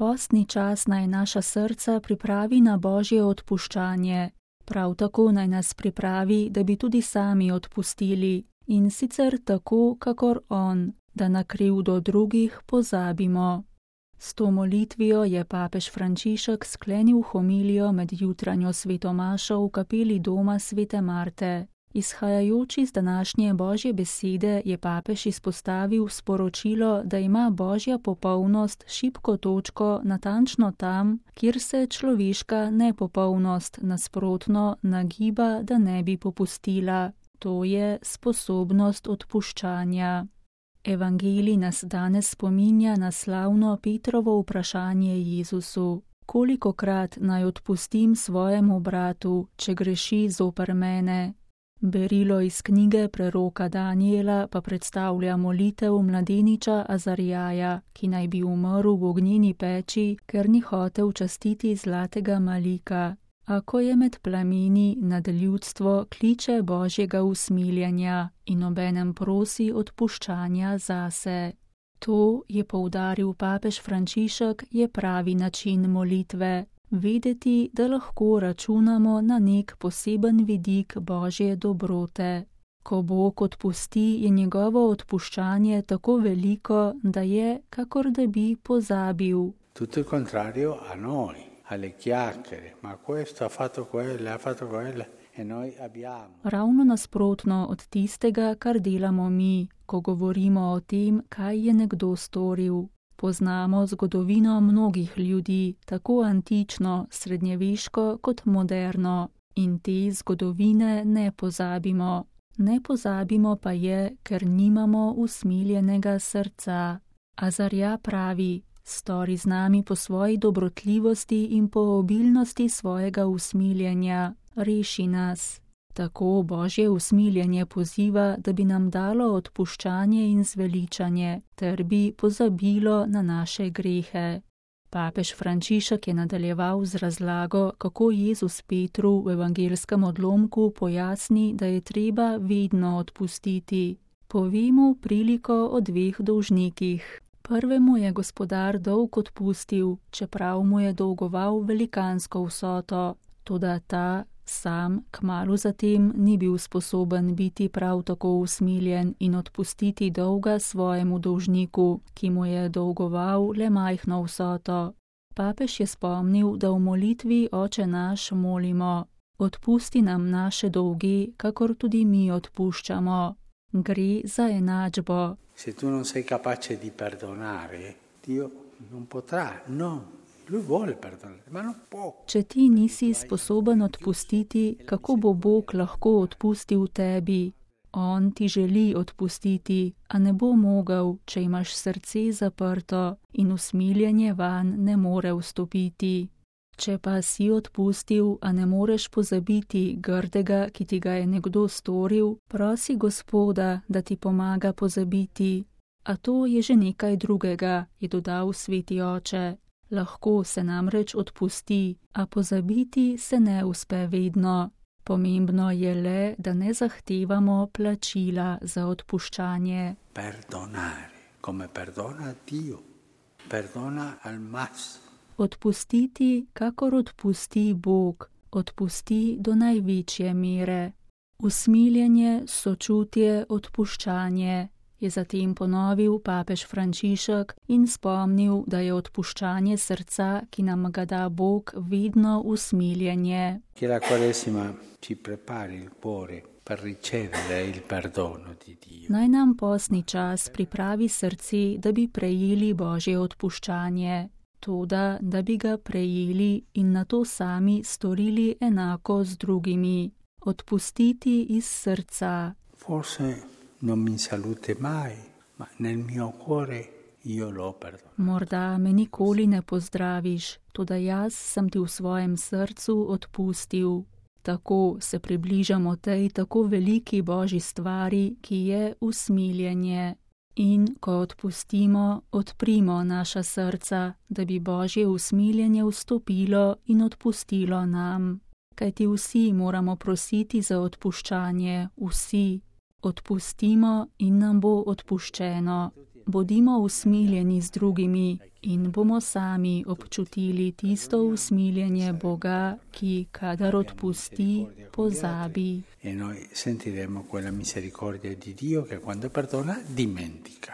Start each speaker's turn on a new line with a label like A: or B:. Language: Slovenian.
A: Postni čas naj naša srca pripravi na Božje odpuščanje. Prav tako naj nas pripravi, da bi tudi sami odpustili, in sicer tako, kakor on, da na krivdo drugih pozabimo. S to molitvijo je papež Frančišek sklenil homilijo med jutranjo svetomašo v kapeli doma svete Marte. Izhajajoč iz današnje Božje besede je papež izpostavil sporočilo, da ima Božja popolnost šibko točko natančno tam, kjer se človeška nepopolnost nasprotno nagiba, da ne bi popustila. To je sposobnost odpuščanja. Evangelij nas danes spominja na slavno Petrovo vprašanje Jezusu: kolikokrat naj odpustim svojemu bratu, če greši zoper mene? Berilo iz knjige preroka Danijela pa predstavlja molitev mladeniča Azarjaja, ki naj bi umrl v ognjeni peči, ker ni hotel častiti zlatega malika. A ko je med plameni, nad ljudstvo kliče Božjega usmiljenja in obenem prosi odpuščanja zase. To, je poudaril papež Frančišek, je pravi način molitve. Vedeti, da lahko računamo na nek poseben vidik Božje dobrote. Ko Bog odpusti, je njegovo odpuščanje tako veliko, da je, kakor da bi pozabil.
B: Tutto il contrario a noi, alle chiacchiere, ma questo ha fatto quella e noi abbiamo.
A: Ravno nasprotno od tistega, kar delamo mi, ko govorimo o tem, kaj je nekdo storil. Poznamo zgodovino mnogih ljudi, tako antično, srednjeveško kot moderno, in te zgodovine ne pozabimo. Ne pozabimo pa je, ker nimamo usmiljenega srca. Azarja pravi: stori z nami po svoji dobrotljivosti in po obilnosti svojega usmiljenja, reši nas. Tako Božje usmiljenje poziva, da bi nam dalo odpuščanje in zveličanje, ter bi pozabilo na naše grehe. Papež Frančišek je nadaljeval z razlago, kako Jezus Petru v evangelskem odlomku pojasni, da je treba vedno odpustiti. Pove mu priliko o dveh dolžnikih. Prvemu je gospodar dolg odpustil, čeprav mu je dolgoval velikansko vsoto, toda ta sam kmalu zatem ni bil sposoben biti prav tako usmiljen in odpustiti dolga svojemu dolžniku, ki mu je dolgoval le majhno vsoto. Papež je spomnil, da v molitvi Oče naš molimo: odpusti nam naše dolge, kakor tudi mi odpuščamo. Gre za enačbo.
B: Se tu non sei capace di perdonare, Dio non potrà, no.
A: Če ti nisi sposoben odpustiti, kako bo Bog lahko odpustil tebi? On ti želi odpustiti, a ne bo mogel, če imaš srce zaprto in usmiljenje vanj ne more vstopiti. Če pa si odpustil, a ne moreš pozabiti grdega, ki ti ga je nekdo storil, prosi Gospoda, da ti pomaga pozabiti. A to je že nekaj drugega, je dodal sveti oče. Lahko se namreč odpusti, a pozabiti se ne uspe vedno. Pomembno je le, da ne zahtevamo plačila za odpuščanje.
B: Perdonare, come perdona Dio. Perdona al massimo.
A: Odpustiti, kakor odpusti Bog, odpusti do največje mere. Usmiljenje, sočutje, odpuščanje, je zatem ponovil papež Frančišek in spomnil, da je odpuščanje srca, ki nam ga da Bog, vedno usmiljenje.
B: Che la Quaresima ci prepari il cuore per ricevere il perdono di Dio.
A: Naj nam postni čas pripravi srce, da bi prejeli Božje odpuščanje. Toda, da bi ga prejeli in nato sami storili enako z drugimi. Odpustiti iz srca.
B: Forse non mi salute mai, ma nel mio cuore io lo perdono.
A: Morda me nikoli ne pozdraviš, toda jaz sem ti v svojem srcu odpustil. Tako se približamo tej tako veliki Božji stvari, ki je usmiljenje. In ko odpustimo, odprimo naša srca, da bi Božje usmiljenje vstopilo in odpustilo nam. Kajti vsi moramo prositi za odpuščanje, vsi. Odpustimo in nam bo odpuščeno. Bodimo usmiljeni z drugimi in bomo sami občutili tisto usmiljenje Boga, ki kadar odpusti, pozabi.
B: E noi sentiremo quella misericordia di Dio che quando perdona dimentica.